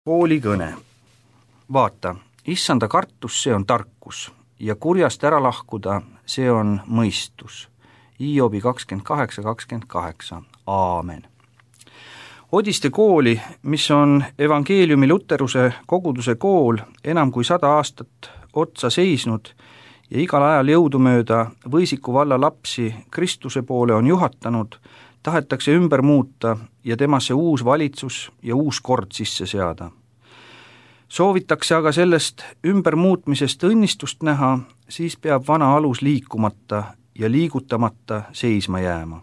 Koolikõne. Vaata, issanda kartus, see on tarkus ja kurjast ära lahkuda, see on mõistus. Hiobi 28:28. Aamen. Odiste kooli, mis on evangeeliumi luteruse koguduse kool, enam kui 100 aastat otsa seisnud ja igal ajal jõudumööda Võisiku valla lapsi Kristuse poole on juhatanud, tahetakse ümber muuta ja temasse uus valitsus ja uus kord sisse seada. Soovitakse aga sellest ümbermuutmisest õnnistust näha, siis peab vana alus liikumata ja liigutamata seisma jääma.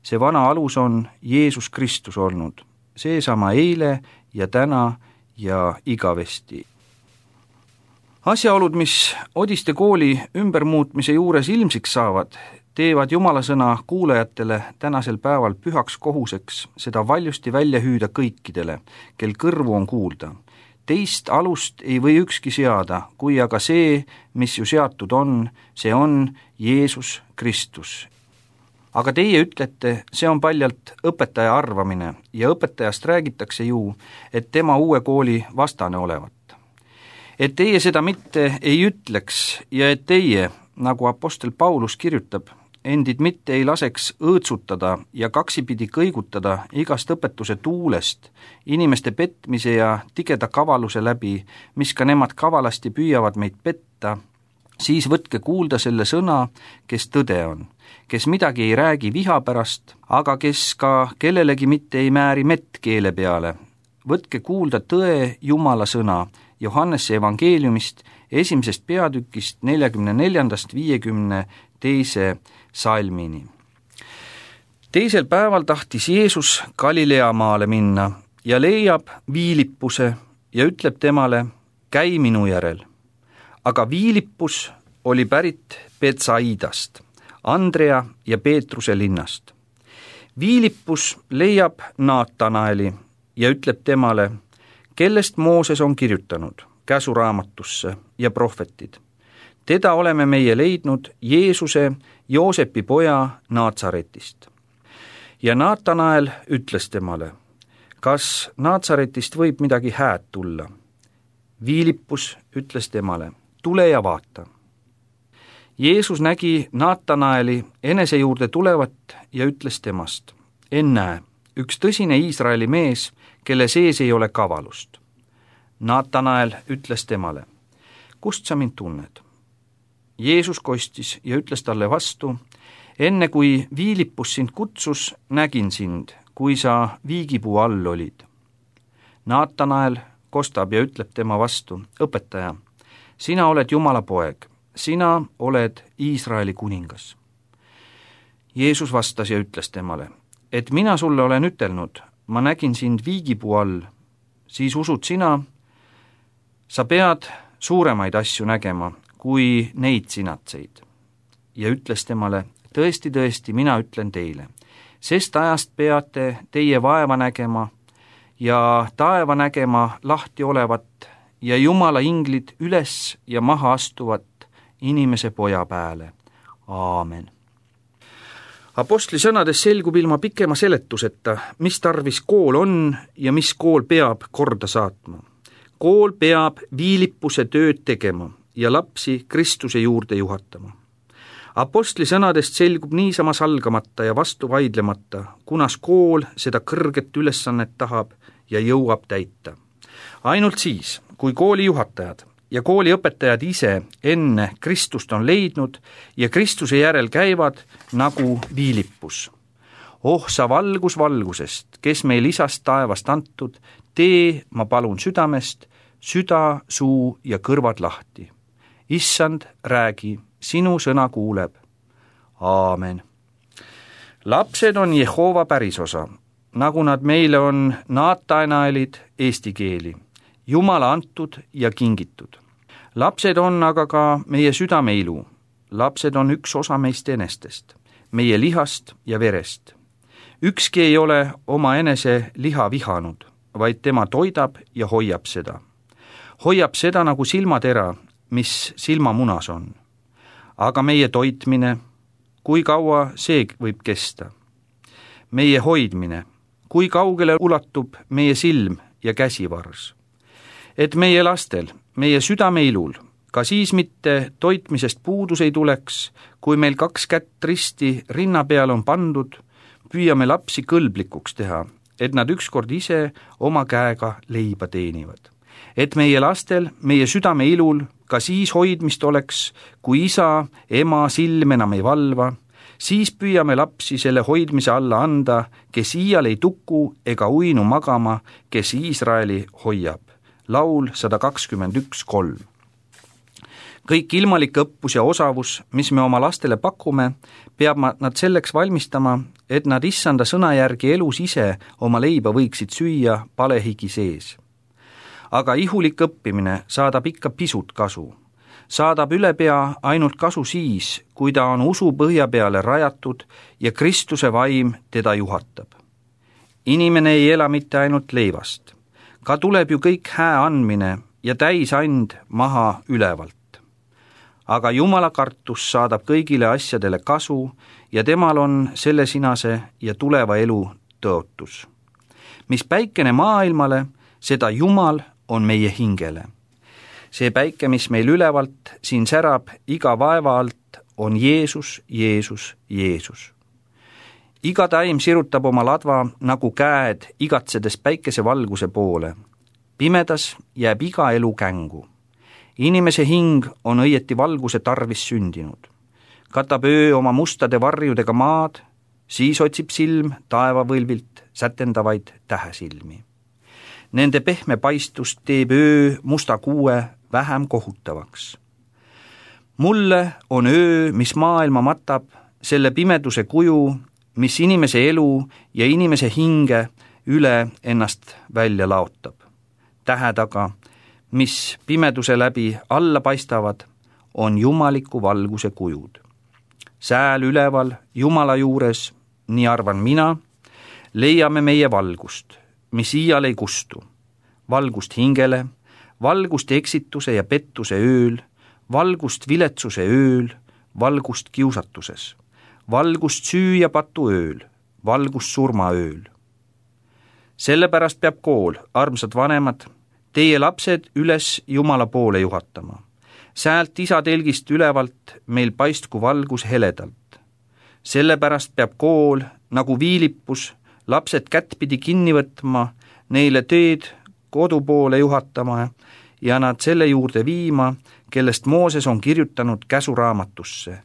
See vana alus on Jeesus Kristus olnud, seesama eile ja täna ja igavesti. Asjaolud, mis Odiste kooli ümbermuutmise juures ilmsiks saavad, teevad Jumala sõna kuulajatele tänasel päeval pühaks kohuseks seda valjusti välja hüüda kõikidele, kel kõrvu on kuulda. Teist alust ei või ükski seada, kui aga see, mis ju seatud on, see on Jeesus Kristus. Aga teie ütlete, see on paljalt õpetaja arvamine ja õpetajast räägitakse ju, et tema uue kooli vastane olevat. Et teie seda mitte ei ütleks ja et teie, nagu apostel Paulus kirjutab, endid mitte ei laseks õõtsutada ja kaksipidi kõigutada igast õpetuse tuulest, inimeste petmise ja tigeda kavaluse läbi, mis ka nemad kavalasti püüavad meid petta, siis võtke kuulda selle sõna, kes tõde on, kes midagi ei räägi viha pärast, aga kes ka kellelegi mitte ei määri mett keele peale. Võtke kuulda tõe Jumala sõna Johannese evangeeliumist 1. peatükist 44-52 salmini. Teisel päeval tahtis Jeesus Galilea maale minna ja leiab Viilipuse ja ütleb temale, käi minu järel. Aga Viilipus oli pärit Betsaidast, Andrea ja Peetruse linnast. Viilipus leiab Naatanaeli ja ütleb temale, kellest Mooses on kirjutanud käsuraamatusse ja prohvetid. Teda oleme meie leidnud Jeesuse, Joosepi poja Naatsaretist. Ja Naatanael ütles temale, kas Naatsaretist võib midagi hääd tulla? Viilipus ütles temale, tule ja vaata. Jeesus nägi Naatanaeli enese juurde tulevat ja ütles temast, ennäe, üks tõsine Iisraeli mees, kelle sees ei ole kavalust. Naatanael ütles temale, kust sa mind tunned? Jeesus kostis ja ütles talle vastu, enne kui Viilipus sind kutsus, nägin sind, kui sa viigipuu all olid. Naatanael kostab ja ütleb tema vastu, õpetaja, sina oled Jumala poeg, sina oled Iisraeli kuningas. Jeesus vastas ja ütles temale, et mina sulle olen ütelnud, ma nägin sind viigipuu all, siis usud sina, sa pead suuremaid asju nägema, kui neid sinatseid. Ja ütles temale, tõesti, tõesti, mina ütlen teile, sest ajast peate teie vaeva nägema ja taeva nägema lahti olevat ja Jumala inglid üles ja maha astuvat inimese poja pääle. Aamen. Apostli sõnades selgub ilma pikema seletuseta, mis tarvis kool on ja mis kool peab korda saatma. Kool peab Viilipuse tööd tegema ja lapsi Kristuse juurde juhatama. Apostli sõnadest selgub niisama salgamata ja vastu vaidlemata, kunas kool seda kõrget ülesannet tahab ja jõuab täita. Ainult siis, kui kooli juhatajad ja kooli õpetajad ise enne Kristust on leidnud ja Kristuse järel käivad nagu Viilipus. Oh, sa valgus valgusest, kes meil isast taevast antud, tee, ma palun südamest, süda, suu ja kõrvad lahti. Issand, räägi, sinu sõna kuuleb. Aamen. Lapsed on Jehova pärisosa, nagu nad meile on Naatanaelid eesti keeli, Jumala antud ja kingitud. Lapsed on aga ka meie südameilu. Lapsed on üks osa meist enestest, meie lihast ja verest. Ükski ei ole oma enese liha vihanud, vaid tema toidab ja hoiab seda. Hoiab seda nagu silmatera, mis silmamunas on. Aga meie toitmine, kui kaua see võib kesta? Meie hoidmine, kui kaugele ulatub meie silm ja käsivars. Et meie lastel, meie südameilul, ka siis mitte toitmisest puudus ei tuleks, kui meil 2 kätt risti rinna peal on pandud, püüame lapsi kõlblikuks teha, et nad ükskord ise oma käega leiba teenivad. Et meie lastel, meie südameilul, ka siis hoidmist oleks, kui isa, ema silm enam ei valva, siis püüame lapsi selle hoidmise alla anda, kes iial ei tuku ega uinu magama, kes Iisraeli hoiab. Laul 121:3. Kõik ilmalik õppus ja osavus, mis me oma lastele pakume, peab nad selleks valmistama, et nad issanda sõna järgi elus ise oma leiba võiksid süüa palehigi sees. Aga ihulik õppimine saadab ikka pisut kasu. Saadab ülepea ainult kasu siis, kui ta on usu põhja peale rajatud ja Kristuse vaim teda juhatab. Inimene ei ela mitte ainult leivast, ka tuleb ju kõik hää andmine ja täisand maha ülevalt. Aga Jumala kartus saadab kõigile asjadele kasu ja temal on selle sinase ja tuleva elu tõotus. Mis päikene maailmale, seda Jumal on meie hingele. See päike, mis meil ülevalt siin särab iga vaeva alt, on Jeesus, Jeesus, Jeesus. Iga taim sirutab oma ladva nagu käed igatsedes päikese valguse poole. Pimedas jääb iga elu kängu. Inimese hing on õieti valguse tarvis sündinud. Katab öö oma mustade varjudega maad, siis otsib silm taevavõlvilt sätendavaid tähesilmi. Nende pehme paistust teeb öö musta kuue vähem kohutavaks. Mulle on öö, mis maailma matab, selle pimeduse kuju, mis inimese elu ja inimese hinge üle ennast välja laotab. Tähed aga, mis pimeduse läbi alla paistavad, on jumaliku valguse kujud. Sääl üleval Jumala juures, nii arvan mina, leiame meie valgust, mis iial ei kustu. Valgust hingele, valgust eksituse ja pettuse ööl, valgust viletsuse ööl, valgust kiusatuses, valgust süü ja patu ööl, valgust surma ööl. Sellepärast peab kool, armsad vanemad, teie lapsed üles Jumala poole juhatama. Säält isa telgist ülevalt meil paistku valgus heledalt. Sellepärast peab kool, nagu viilipus, lapsed kättpidi kinni võtma, neile teed kodu poole juhatama ja nad selle juurde viima, kellest Mooses on kirjutanud käsuraamatusse,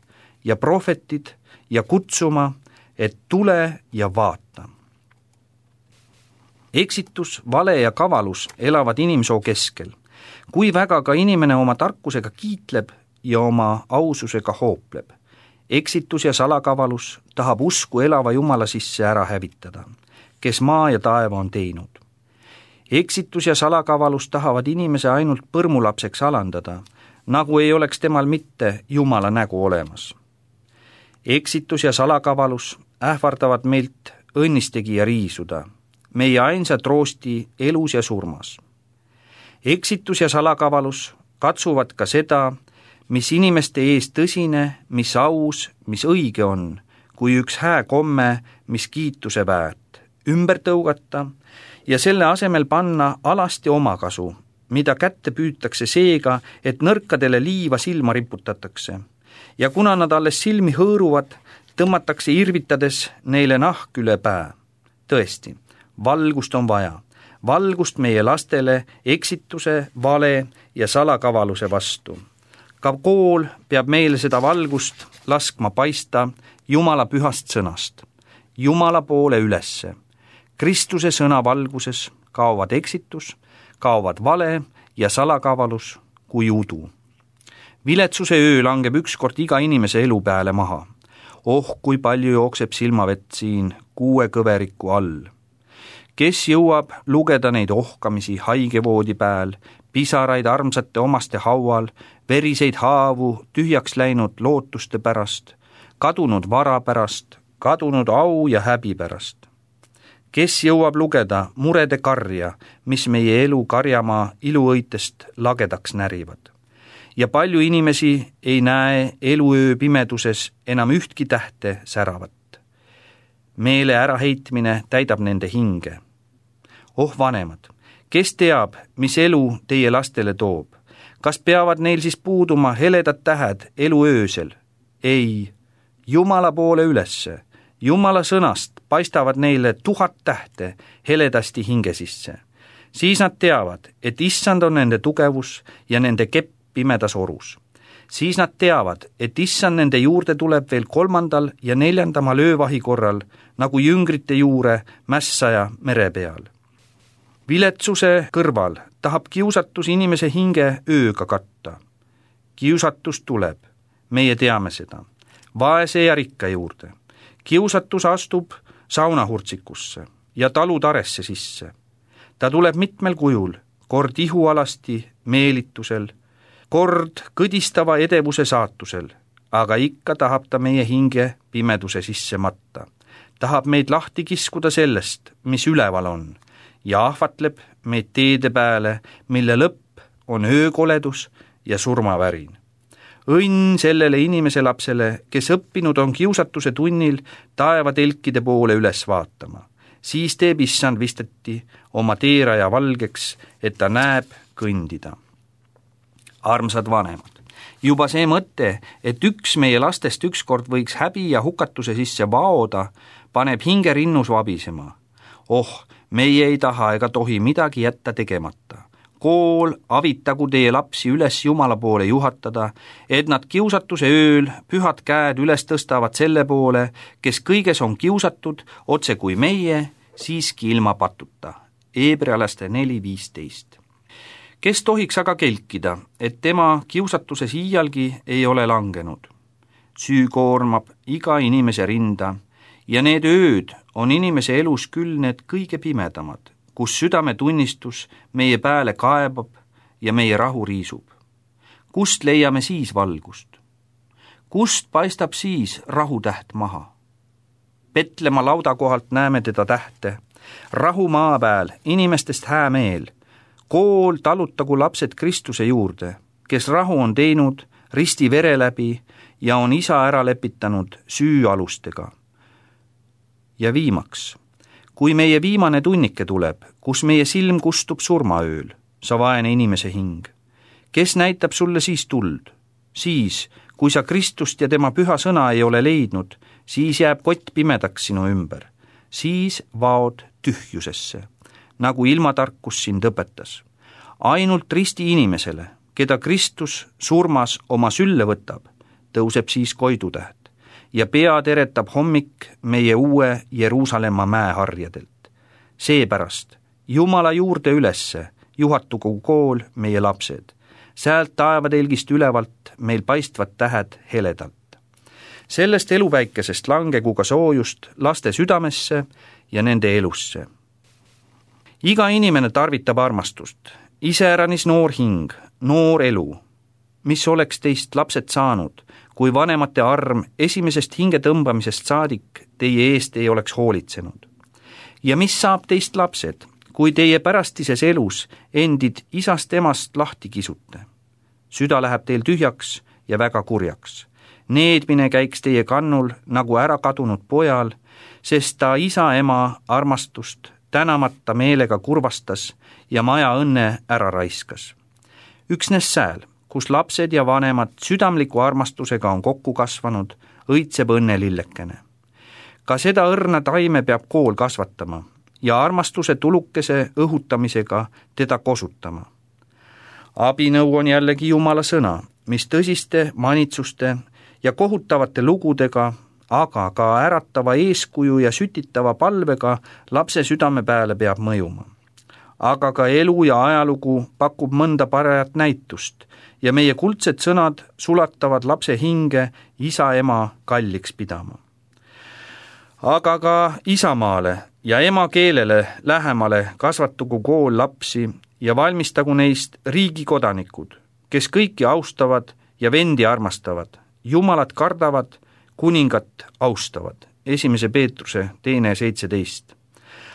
ja prohvetid ja kutsuma, et tule ja vaata. Eksitus, vale ja kavalus elavad inimsoo keskel. Kui väga ka inimene oma tarkusega kiitleb ja oma aususega hoopleb. Eksitus ja salakavalus tahab usku elava Jumala sisse ära hävitada, kes maa ja taeva on teinud. Eksitus ja salakavalus tahavad inimese ainult põrmulapseks alandada, nagu ei oleks temal mitte Jumala nägu olemas. Eksitus ja salakavalus ähvardavad meilt õnnistegija riisuda, meie ainsa troosti elus ja surmas. Eksitus ja salakavalus katsuvad ka seda, mis inimeste ees tõsine, mis aus, mis õige on, kui üks hää komme, mis kiituse väärt, ümber tõugata ja selle asemel panna alasti omakasu, mida kätte püütakse seega, et nõrkadele liiva silma riputatakse. Ja kuna nad alles silmi hõõruvad, tõmmatakse irvitades neile nahk üle pää. Tõesti, valgust on vaja. Valgust meie lastele eksituse, vale ja salakavaluse vastu. Ka kool peab meile seda valgust laskma paista Jumala pühast sõnast, Jumala poole ülesse. Kristuse sõna valguses kaovad eksitus, kaovad vale ja salakavalus kui udu. Viletsuse öö langeb ükskord iga inimese elu peale maha. Oh, kui palju jookseb silmavett siin 6 kõveriku all. Kes jõuab lugeda neid ohkamisi haigevoodi pääl, pisaraid armsate omaste haual, veriseid haavu tühjaks läinud lootuste pärast, kadunud vara pärast, kadunud au ja häbi pärast. Kes jõuab lugeda murede karja, mis meie elu karjamaa iluõitest lagedaks närivad. Ja palju inimesi ei näe eluöö pimeduses enam ühtki tähte säravat. Meele äraheitmine täidab nende hinge. Oh vanemad, Kes teab, mis elu teie lastele toob? Kas peavad neil siis puuduma heledad tähed elu öösel? Ei, Jumala poole ülesse. Jumala sõnast paistavad neile 1000 tähte heledasti hinge sisse. Siis nad teavad, et Issand on nende tugevus ja nende kepp pimedas orus. Siis nad teavad, et Issand nende juurde tuleb veel 3. ja 4. öövahi korral, nagu jüngrite juure mässaja mere peal. Viletsuse kõrval tahab kiusatus inimese hinge ööga katta. Kiusatus tuleb, meie teame seda, vaese ja rikka juurde. Kiusatus astub saunahurtsikusse ja talutaresse sisse. Ta tuleb mitmel kujul, kord ihualasti meelitusel, kord kõdistava edevuse saatusel, aga ikka tahab ta meie hinge pimeduse sisse matta. Tahab meid lahti kiskuda sellest, mis üleval on, ja ahvatleb meid teede peale, mille lõpp on öökoledus ja surmavärin. Õnn sellele inimese lapsele, kes õppinud on kiusatuse tunnil taevatelkide poole üles vaatama. Siis teeb Issand visteti oma teeraja valgeks, et ta näeb kõndida. Armsad vanemad, juba see mõte, et üks meie lastest ükskord võiks häbi ja hukatuse sisse vaoda, paneb hinge rinnus vabisema. Meie ei taha ega tohi midagi jätta tegemata. Kool avitagu teie lapsi üles Jumala poole juhatada, et nad kiusatuse ööl pühad käed üles tõstavad selle poole, kes kõiges on kiusatud, otse kui meie, siiski ilma patuta. Hebrealaste 4:15. Kes tohiks aga kelkida, et tema kiusatuses iialgi ei ole langenud? Süü koormab iga inimese rinda ja need ööd on inimese elus küll need kõige pimedamad, kus südametunnistus meie pääle kaebab ja meie rahu riisub. Kust leiame siis valgust? Kust paistab siis rahutäht maha? Petlemma laudakohalt näeme teda tähte, rahu maa pääl, inimestest häämeel. Kool talutagu lapsed Kristuse juurde, kes rahu on teinud risti vere läbi ja on isa ära lepitanud süüalustega. Ja viimaks, kui meie viimane tunnike tuleb, kus meie silm kustub surmaööl, sa vaene inimese hing, kes näitab sulle siis tuld? Siis, kui sa Kristust ja tema püha sõna ei ole leidnud, siis jääb kott pimedaks sinu ümber. Siis vaod tühjusesse, nagu ilmatarkus sind õpetas. Ainult risti inimesele, keda Kristus surmas oma sülle võtab, tõuseb siis koidutäht ja pea teretab hommik meie uue Jeruusalemma mäeharjadelt. Seepärast Jumala juurde ülesse juhatugu kool meie lapsed. Säält taevatelgist ülevalt meil paistvad tähed heledalt. Sellest eluväikesest langegu ka soojust laste südamesse ja nende elusse. Iga inimene tarvitab armastust, iseäranis noor hing, noor elu. Mis oleks teist lapsed saanud, kui vanemate arm esimesest hinge tõmbamisest saadik teie eest ei oleks hoolitsenud? Ja mis saab teist lapsed, kui teie pärastises elus endid isast emast lahti kisute? Süda läheb teil tühjaks ja väga kurjaks. Needmine käiks teie kannul nagu ära kadunud pojal, sest ta isa ema armastust tänamata meelega kurvastas ja maja õnne ära raiskas. Üksnes sääl, kus lapsed ja vanemad südamliku armastusega on kokku kasvanud, õitseb õnnelillekene. Ka seda õrna taime peab kool kasvatama ja armastuse tulukese õhutamisega teda kosutama. Abinõu on jällegi Jumala sõna, mis tõsiste manitsuste ja kohutavate lugudega, aga ka äratava eeskuju ja sütitava palvega lapse südame peale peab mõjuma. Aga ka elu ja ajalugu pakub mõnda parajat näitust ja meie kuldsed sõnad sulatavad lapse hinge isa-ema kalliks pidama. Aga ka isamaale ja emakeelele lähemale kasvatugu kool lapsi ja valmistagu neist riigikodanikud, kes kõiki austavad ja vendi armastavad, Jumalat kardavad, kuningat austavad. 1. Peetruse 2:17.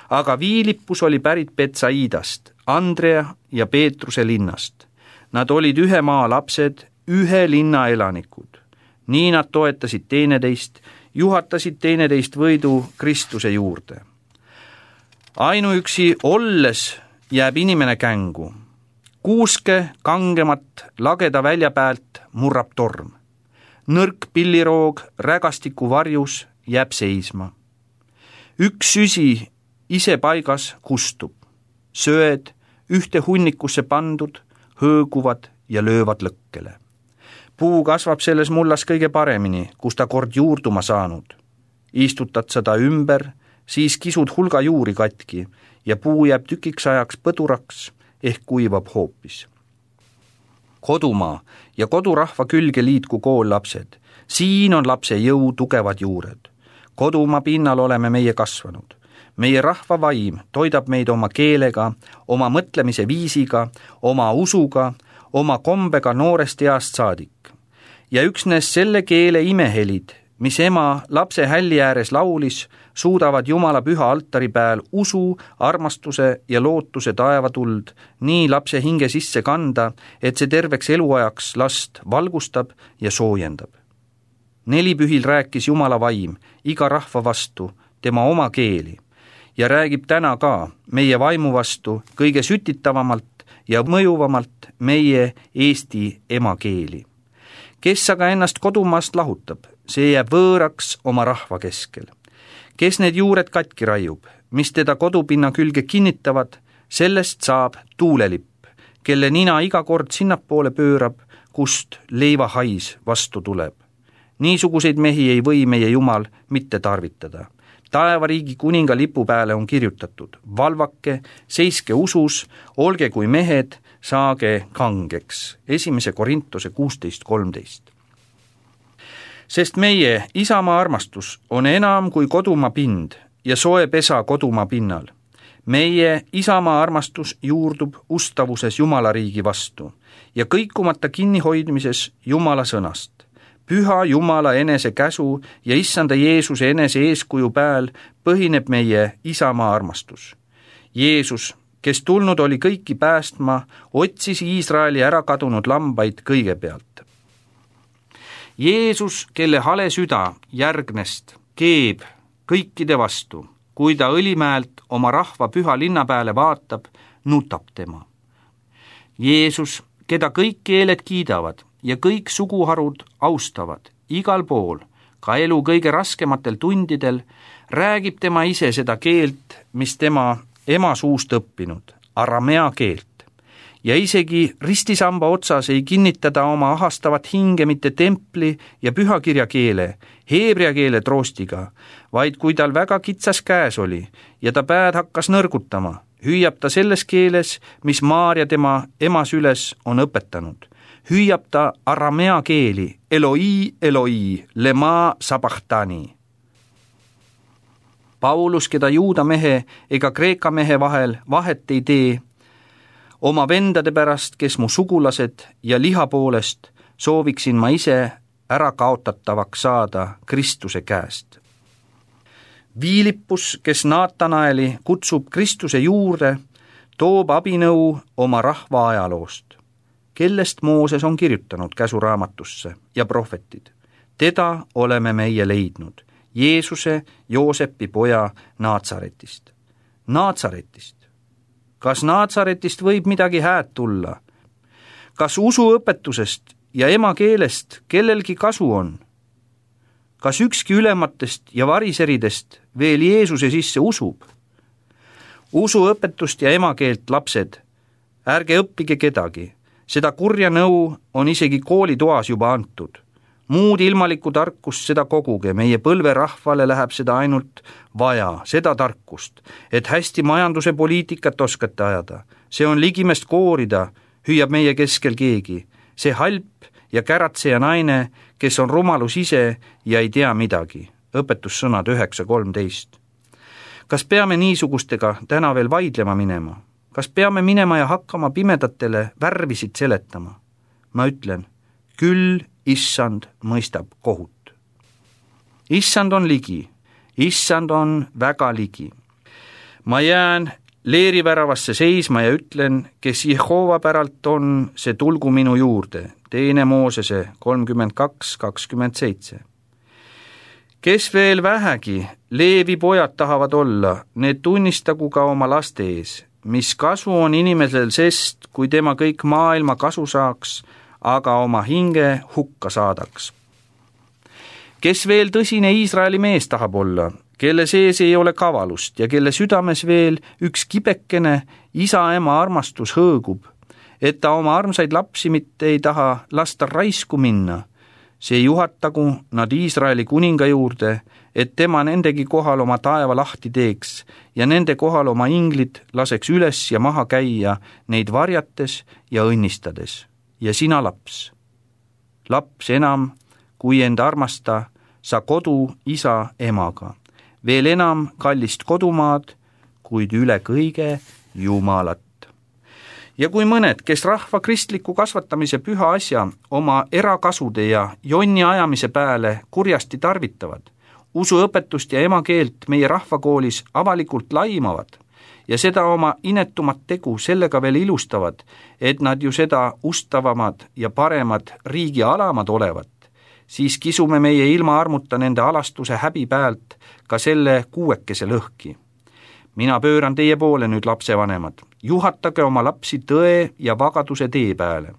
Aga Viilippus oli pärit Betsaidast, Andrea ja Peetruse linnast. Nad olid ühe maa lapsed, ühe linna elanikud. Nii nad toetasid teineteist, juhatasid teineteist võidu Kristuse juurde. Ainuüksi olles jääb inimene kängu. Kuuske kangemat lageda välja pealt murrab torm. Nõrk pilliroog rägastiku varjus jääb seisma. Üks süsi ise paigas kustub. Sööd ühte hunnikusse pandud, hõõguvad ja löövad lõkkele. Puu kasvab selles mullas kõige paremini, kus ta kord juurduma saanud. Istutad seda ümber, siis kisud hulga juuri katki ja puu jääb tükiks ajaks põduraks ehk kuivab hoopis. Kodumaa ja kodurahva külge liitku kool lapsed. Siin on lapse jõu tugevad juured. Kodumaa pinnal oleme meie kasvanud. Meie rahva vaim toidab meid oma keelega, oma mõtlemise viisiga, oma usuga, oma kombega noorest east saadik. Ja üksnes selle keele imehelid, mis ema lapse hälli ääres laulis, suudavad Jumala püha altari pääl usu, armastuse ja lootuse taevatuld nii lapse hinge sisse kanda, et see terveks eluajaks last valgustab ja soojendab. Nelipühil rääkis Jumala vaim iga rahva vastu tema oma keeli ja räägib täna ka meie vaimu vastu kõige sütitavamalt ja mõjuvamalt meie Eesti emakeeli. Kes aga ennast kodumaast lahutab, see jääb võõraks oma rahva keskel. Kes need juured katki raiub, mis teda kodupinna külge kinnitavad, sellest saab tuulelipp, kelle nina iga kord sinnapoole pöörab, kust leivahais vastu tuleb. Niisuguseid mehi ei või meie Jumal mitte tarvitada. Taevariigi kuninga lipu pääle on kirjutatud: valvake, seiske usus, olge kui mehed, saage kangeks. 1. Korintuse 16:13. Sest meie isamaa armastus on enam kui kodumaa pind ja soe pesa kodumaa pinnal. Meie isamaa armastus juurdub ustavuses Jumala riigi vastu ja kõikumata kinnihoidmises Jumala sõnast. Püha Jumala enese käsu ja issanda Jeesuse enese eeskuju pääl põhineb meie isamaa armastus. Jeesus, kes tulnud oli kõiki päästma, otsis Iisraeli ära kadunud lambaid kõigepealt. Jeesus, kelle hale süda järgnest keeb kõikide vastu, kui ta Õlimäelt oma rahva püha linna pääle vaatab, nutab tema. Jeesus, keda kõik keeled kiidavad ja kõik suguharud austavad, igal pool, ka elu kõige raskematel tundidel, räägib tema ise seda keelt, mis tema ema suust õppinud, aramea keelt. Ja isegi ristisamba otsas ei kinnitada oma ahastavat hinge mitte templi ja pühakirja keele, heebrea keele troostiga, vaid kui tal väga kitsas käes oli ja ta pääd hakkas nõrgutama, hüüab ta selles keeles, mis Maarja tema ema süles on õpetanud. Hüüab ta aramea keeli, Eloi, Eloi, lema sabachthani. Paulus, keda juuda mehe ega kreeka mehe vahel vahet ei tee, oma vendade pärast, kes mu sugulased ja liha poolest, sooviksin ma ise ära kaotatavaks saada Kristuse käest. Viilippus, kes Naatanaeli kutsub Kristuse juurde, toob abinõu oma rahva ajaloost, kellest Mooses on kirjutanud käsuraamatusse ja prohvetid. Teda oleme meie leidnud, Jeesuse, Joosepi poja Naatsaretist. Naatsaretist. Kas Naatsaretist võib midagi hääd tulla? Kas usuõpetusest ja emakeelest kellelgi kasu on? Kas ükski ülematest ja variseridest veel Jeesuse sisse usub? Usuõpetust ja emakeelt, lapsed, ärge õppige kedagi. Seda kurja nõu on isegi koolitoas juba antud. Muud ilmalikku tarkust seda koguge, meie põlverahvale läheb seda ainult vaja, seda tarkust, et hästi majanduse poliitikat oskate ajada. See on ligimest koorida, hüüab meie keskel keegi. See halp ja käratseja naine, kes on rumalus ise ja ei tea midagi. Õpetussõnad 9:13. Kas peame niisugustega täna veel vaidlema minema? Kas peame minema ja hakkama pimedatele värvisid seletama? Ma ütlen, küll issand mõistab kohut. Issand on ligi, issand on väga ligi. Ma jään leeriväravasse seisma ja ütlen, kes Jehova päralt on, see tulgu minu juurde. 2. Moosese 32:27. Kes veel vähegi Leevi pojad tahavad olla, need tunnistagu ka oma laste ees. mis kasu on inimesel sest, kui tema kõik maailma kasu saaks, aga oma hinge hukka saadaks. Kes veel tõsine Iisraeli mees tahab olla, kelle sees ei ole kavalust ja kelle südames veel üks kibekene isa-ema armastus hõõgub, et ta oma armsaid lapsi mitte ei taha lasta raisku minna, see juhatagu nad Iisraeli kuninga juurde, et tema nendegi kohal oma taeva lahti teeks ja nende kohal oma inglid laseks üles ja maha käia neid varjates ja õnnistades. Ja sina laps enam kui end armasta, sa kodu isa emaga, veel enam kallist kodumaad, kuid üle kõige Jumalat. Ja kui mõned, kes rahva kristliku kasvatamise püha asja oma erakasude ja jonni ajamise pääle kurjasti tarvitavad, usuõpetust ja emakeelt meie rahvakoolis avalikult laimavad ja seda oma inetumat tegu sellega veel ilustavad, et nad ju seda ustavamad ja paremad riigi alamad olevat, siis kisume meie ilma armuta nende alastuse häbi pealt ka selle 6 lõhki. Mina pööran teie poole nüüd lapsevanemad, juhatage oma lapsi tõe ja vagaduse tee peale,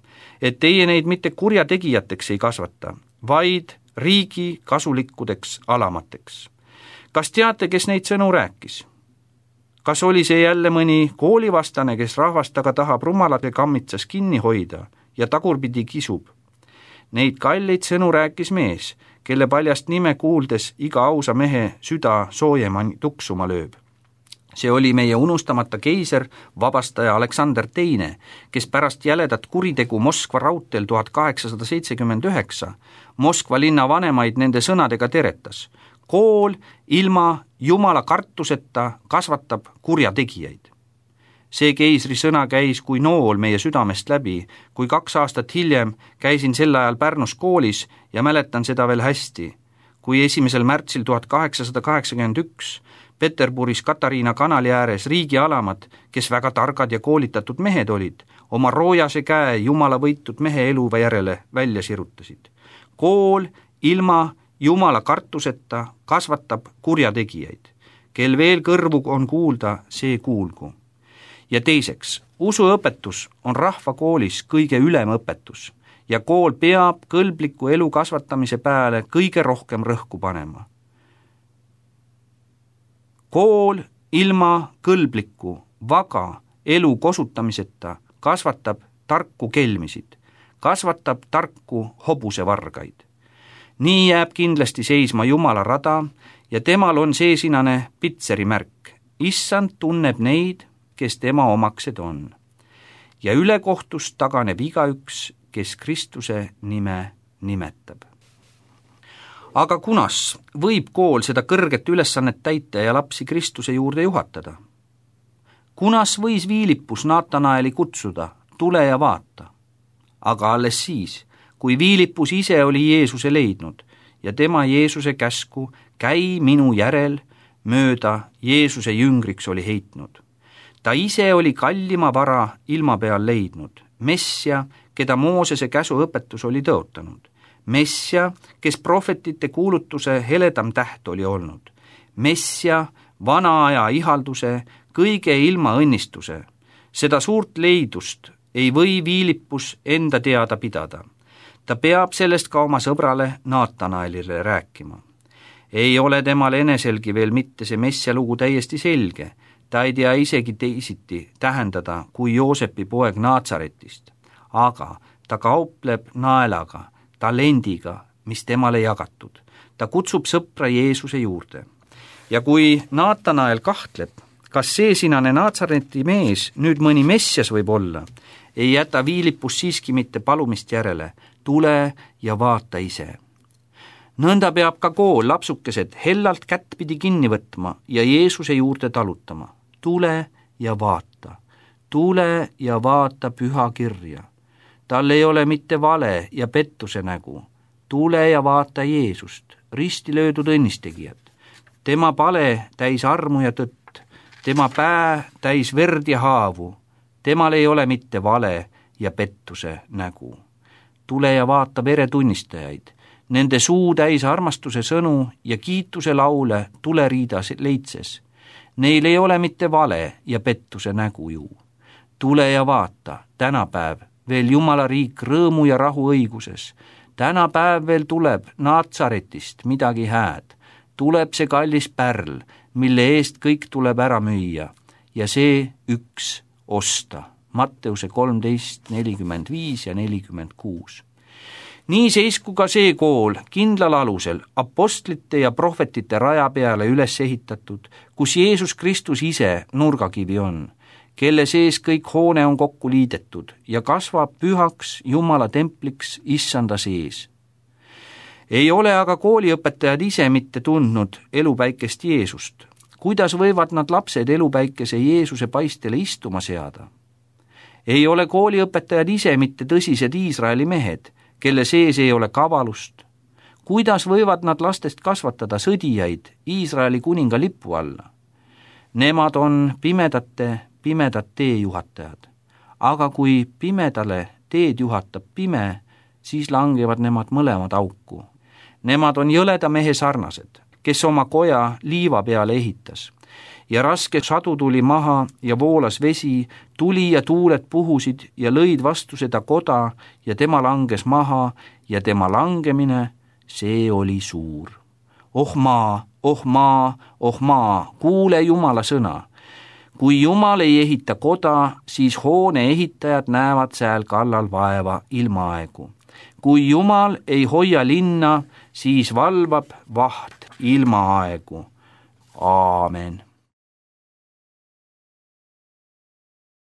et teie neid mitte kurjategijateks ei kasvata, vaid riigi kasulikkudeks alamateks. Kas teate, kes neid sõnu rääkis? Kas oli see jälle mõni koolivastane, kes rahvast aga tahab rumalade kammitsas kinni hoida ja tagurpidi kisub? Neid kalleid sõnu rääkis mees, kelle paljast nime kuuldes iga ausa mehe süda soojema tuksuma lööb. See oli meie unustamata keiser, vabastaja Aleksander II, kes pärast jäledat kuritegu Moskva raudteel 1879 Moskva linna vanemaid nende sõnadega teretas. Kool ilma Jumala kartuseta kasvatab kurjategijaid. See keisri sõna käis kui nool meie südamest läbi, kui 2 aastat hiljem käisin sel ajal Pärnus koolis ja mäletan seda veel hästi, kui 1. märtsil 1881 Peterburis Katariina kanali ääres riigi alamad, kes väga targad ja koolitatud mehed olid, oma roojase käe Jumala võitud mehe elu järele välja sirutasid. Kool ilma Jumala kartuseta kasvatab kurjategijaid. Kel veel kõrvu on kuulda, see kuulgu. Ja teiseks, usuõpetus on rahvakoolis kõige ülem õpetus ja kool peab kõlbliku elu kasvatamise peale kõige rohkem rõhku panema. Kool ilma kõlbliku, vaga elu kosutamiseta kasvatab tarku kelmisid, kasvatab tarku hobusevargaid. Nii jääb kindlasti seisma Jumala rada ja temal on seesinane pitseri märk. Issand tunneb neid, kes tema omaksed on. Ja ülekohtust taganeb igaüks, kes Kristuse nime nimetab. Aga kunas võib kool seda kõrget ülesannet täita ja lapsi Kristuse juurde juhatada? Kunas võis Viilipus Naatanaeli kutsuda, tule ja vaata? Aga alles siis, kui Viilipus ise oli Jeesuse leidnud ja tema Jeesuse käsku käi minu järel mööda Jeesuse jüngriks oli heitnud. Ta ise oli kallima vara ilma peal leidnud, Messia, keda Moosese käsuõpetus oli tõotanud. Messia, kes prohvetite kuulutuse heledam täht oli olnud. Messia, vana aja ihalduse, kõige ilma õnnistuse. Seda suurt leidust ei või Viilipus enda teada pidada. Ta peab sellest ka oma sõbrale Naatanaelile rääkima. Ei ole temal eneselgi veel mitte see Messia lugu täiesti selge. Ta ei tea isegi teisiti tähendada kui Joosepi poeg Naatsaretist. Aga ta kaupleb naelaga, talendiga, mis temale jagatud. Ta kutsub sõpra Jeesuse juurde. Ja kui Naatanael kahtleb, kas seesinane Naatsareti mees nüüd mõni Messias võib olla, ei jäta Viilipus siiski mitte palumist järele, tule ja vaata ise. Nõnda peab ka kool lapsukesed hellalt kättpidi kinni võtma ja Jeesuse juurde talutama. Tule ja vaata püha kirja. Tal ei ole mitte vale ja pettuse nägu. Tule ja vaata Jeesust, risti löödud õnnistegijat. Tema pale täis armu ja tõtt, tema pää täis verd ja haavu. Temal ei ole mitte vale ja pettuse nägu. Tule ja vaata veretunnistajaid, nende suu täis armastuse sõnu ja kiituse laule tuleriidas leitses. Neil ei ole mitte vale ja pettuse nägu ju. Tule ja vaata, tänapäev veel Jumala riik rõõmu ja rahu õiguses. Tänapäev veel tuleb Naatsaretist midagi hääd. Tuleb see kallis pärl, mille eest kõik tuleb ära müüa ja see üks osta. Matteuse 13:45 ja 46. Nii seisku ka see kool kindlal alusel apostlite ja prohvetite raja peale üles ehitatud, kus Jeesus Kristus ise nurgakivi on, kelle sees kõik hoone on kokku liidetud ja kasvab pühaks Jumala templiks issanda sees. Ei ole aga kooliõpetajad ise mitte tundnud elupäikest Jeesust. Kuidas võivad nad lapsed elupäikese Jeesuse paistele istuma seada? Ei ole kooliõpetajad ise mitte tõsised Iisraeli mehed, kelle sees ei ole kavalust. Kuidas võivad nad lastest kasvatada sõdijaid Iisraeli kuninga lipu alla? Nemad on pimedad teejuhatajad. Aga kui pimedale teed juhatab pime, siis langevad nemad mõlemad auku. Nemad on jõleda mehe sarnased, kes oma koja liiva peale ehitas. Ja raske sadu tuli maha ja voolas vesi, tuli ja tuuled puhusid ja lõid vastu seda koda ja tema langes maha ja tema langemine, see oli suur. Oh maa, oh maa, oh maa, kuule Jumala sõna. Kui Jumal ei ehita koda, siis hoone ehitajad näevad sääl kallal vaeva ilmaaegu. Kui Jumal ei hoia linna, siis valvab vaht ilmaaegu. Aamen.